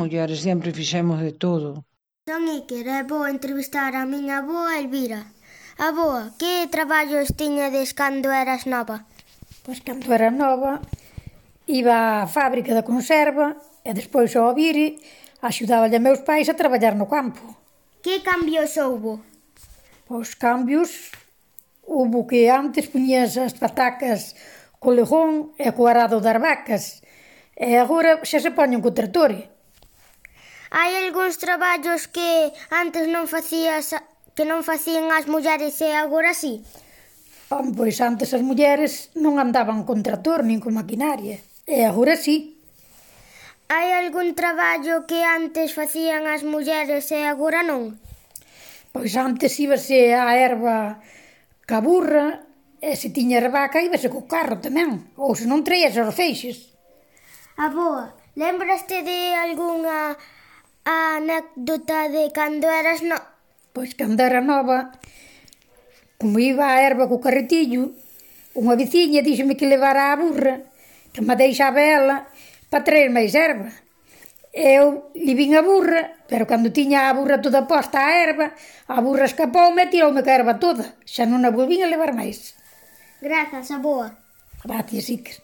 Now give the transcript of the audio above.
mulleres sempre fixemos de todo. Son Iker e vou entrevistar a miña avoa Elvira. Avoa, que traballos tiñades cando eras nova? Pois cando era nova iba á fábrica da conserva e despois ao vire axudaba a meus pais a traballar no campo. Que cambios houbo? Pois cambios houbo que antes puñas as patacas co legón e co arado das vacas e agora xa se poñen co tractor. Hai algúns traballos que antes non facían as mulleres e agora sí? Pois antes as mulleres non andaban con tractor nin con maquinaria e agora sí. Hai algún traballo que antes facían as mulleres e agora non? Pois antes íbase á herba ca burra e se tiñas vaca íbase co carro tamén, ou se non traías os feixes. Avoa, lembraste de algunha anécdota de cando eras Pois cando era nova, como iba á herba co carretillo, unha veciña díxome que levara a burra, que me deixaba ela para traer máis herba. Eu livin a burra, pero cando tiña a burra toda posta á herba, a burra escapoume e tiroume ca herba toda. Xa non a volvín a levar máis. Grazas, avoa. Gracias, Iker.